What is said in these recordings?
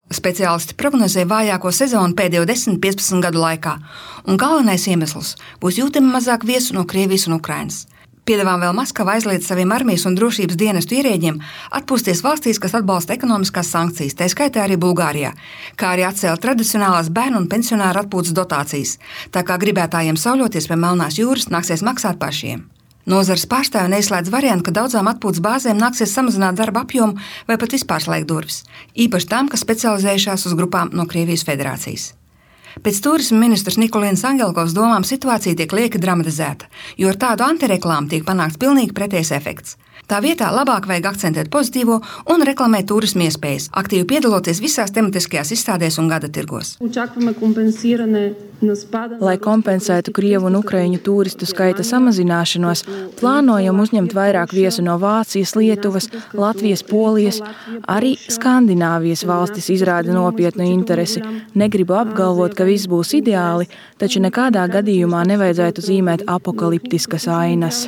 Speciālisti prognozē vājāko sezonu pēdējo 10-15 gadu laikā, un galvenais iemesls būs jūtami mazāk viesu no Krievijas un Ukrainas. Piedāvām vēl Maskava aizliedz saviem armijas un drošības dienestu ierēģiem atpūsties valstīs, kas atbalsta ekonomiskās sankcijas, tā skaitā arī Bulgārijā, kā arī atcēla tradicionālās bērnu un pensionāru atpūtas dotācijas, tā kā gribētājiem sauļoties pie Melnās jūras nāksies maksāt pašiem. Nozares pārstāvi neizslēdz variantu, ka daudzām atpūtas bāzēm nāksies samazināt darba apjomu vai pat vispār slēgt durvis, īpaši tām, kas specializējušās uz grupām no Krievijas federācijas. Pēc turisma ministrs Nikolīnas Angelkovas domām situācija tiek lieki dramatizēta, jo ar tādu antireklāmu tiek panākts pilnīgi pretējs efekts. Tā vietā labāk vajag akcentēt pozitīvo un reklamēt turisma iespējas, aktīvi piedaloties visās tematiskajās izstādēs un gada tirgos. Lai kompensētu Krievu un Ukraiņu turistu skaita samazināšanos, plānojam uzņemt vairāk viesu no Vācijas, Lietuvas, Latvijas, Polijas. Arī Skandināvijas valstis izrāda nopietnu interesi. Negribu apgalvot, ka viss būs ideāli, taču nekādā gadījumā nevajadzētu zīmēt apokaliptiskas ainas.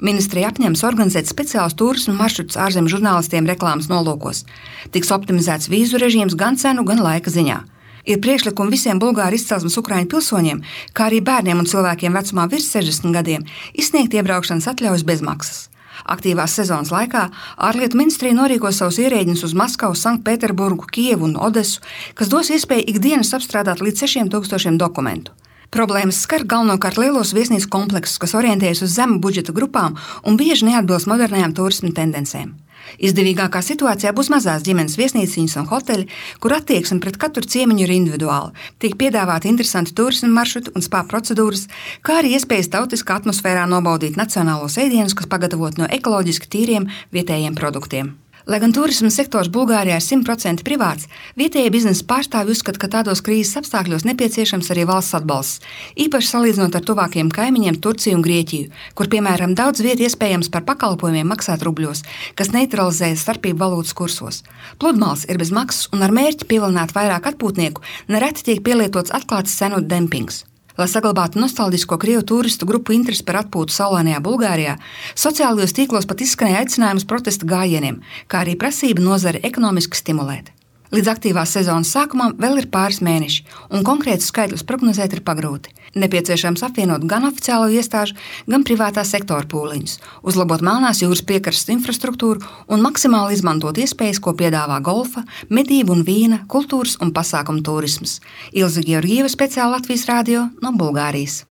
Ministrija apņemas organizēt speciālus turismu maršrutus ārzemju žurnālistiem reklāmas nolūkos. Tiks optimizēts vīzu režīms gan cenu, gan laika ziņā. Ir priekšlikumi visiem Bulgāru izcelsmes Ukraiņu pilsoņiem, kā arī bērniem un cilvēkiem vecumā virs 60 gadiem, izsniegt iebraukšanas atļaujas bez maksas. Aktīvās sezonas laikā ārlietu ministrija norīkos savus ierēģņus uz Maskavu, Sanktpēterburgu, Kijevu un Odesu, kas dos iespēju ikdienas apstrādāt līdz 6000 dokumentu. Problēmas skar galvenokārt lielos viesnīcu kompleksus, kas orientējas uz zemu budžeta grupām un bieži neatbilst modernajām turisma tendencēm. Izdevīgākā situācijā būs mazās ģimenes viesnīciņas un hoteļi, kur attieksme pret katru ciemiņu ir individuāla. Tiek piedāvāti interesanti turisma maršruti un spā procedūras, kā arī iespējas tautiskā atmosfērā nobaudīt nacionālos ēdienus, kas pagatavot no ekoloģiski tīriem vietējiem produktiem. Lai gan turisma sektors Bulgārijā ir 100% privāts, vietējie biznesa pārstāvji uzskata, ka tādos krīzes apstākļos nepieciešams arī valsts atbalsts, īpaši salīdzinot ar tuvākiem kaimiņiem Turciju un Grieķiju, kur, piemēram, daudz vietu iespējams par pakalpojumiem maksāt rubļos, kas neutralizē starpību valūtas kursos. Pludmales ir bez maksas un ar mērķi pievilināt vairāk atpūtnieku nereti tiek pielietots atklāts cenu dempings. Lai saglabātu nostalģisko Krievu turistu grupu interesi par atpūtu saulainajā Bulgārijā, sociālajos tīklos pat izskanēja aicinājums protesta gājieniem, kā arī prasība nozari ekonomiski stimulēt. Līdz aktīvās sezonas sākumam vēl ir pāris mēneši, un konkrētus skaitļus prognozēt ir pagrūti. Nepieciešams apvienot gan oficiālo iestāžu, gan privātā sektora pūliņus, uzlabot Melnās jūras piekrastes infrastruktūru un maksimāli izmantot iespējas, ko piedāvā golfa, medību un vīna, kultūras un pasākumu turisms. Ilze Georgieva, speciāli Latvijas radio no Bulgārijas.